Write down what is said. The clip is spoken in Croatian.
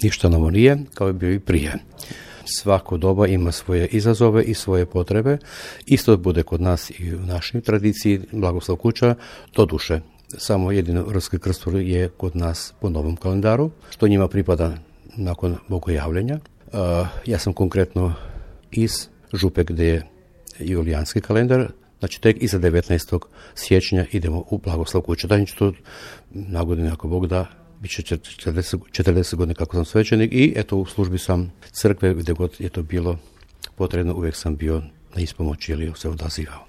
Ništa novo nije, kao je bio i prije. Svako doba ima svoje izazove i svoje potrebe. Isto bude kod nas i u našoj tradiciji Blagoslav Kuća, doduše. Samo jedino Rski krstur je kod nas po novom kalendaru, što njima pripada nakon bogojavljenja. Ja sam konkretno iz Župe gdje je julijanski kalendar, znači tek iza 19. siječnja idemo u Blagoslav Kuća. Dajem ću to na godinu ako Bog da, bit će 40 godina kako sam svećenik i eto u službi sam crkve gdje god je to bilo potrebno, uvijek sam bio na ispomoći ili se odazivao.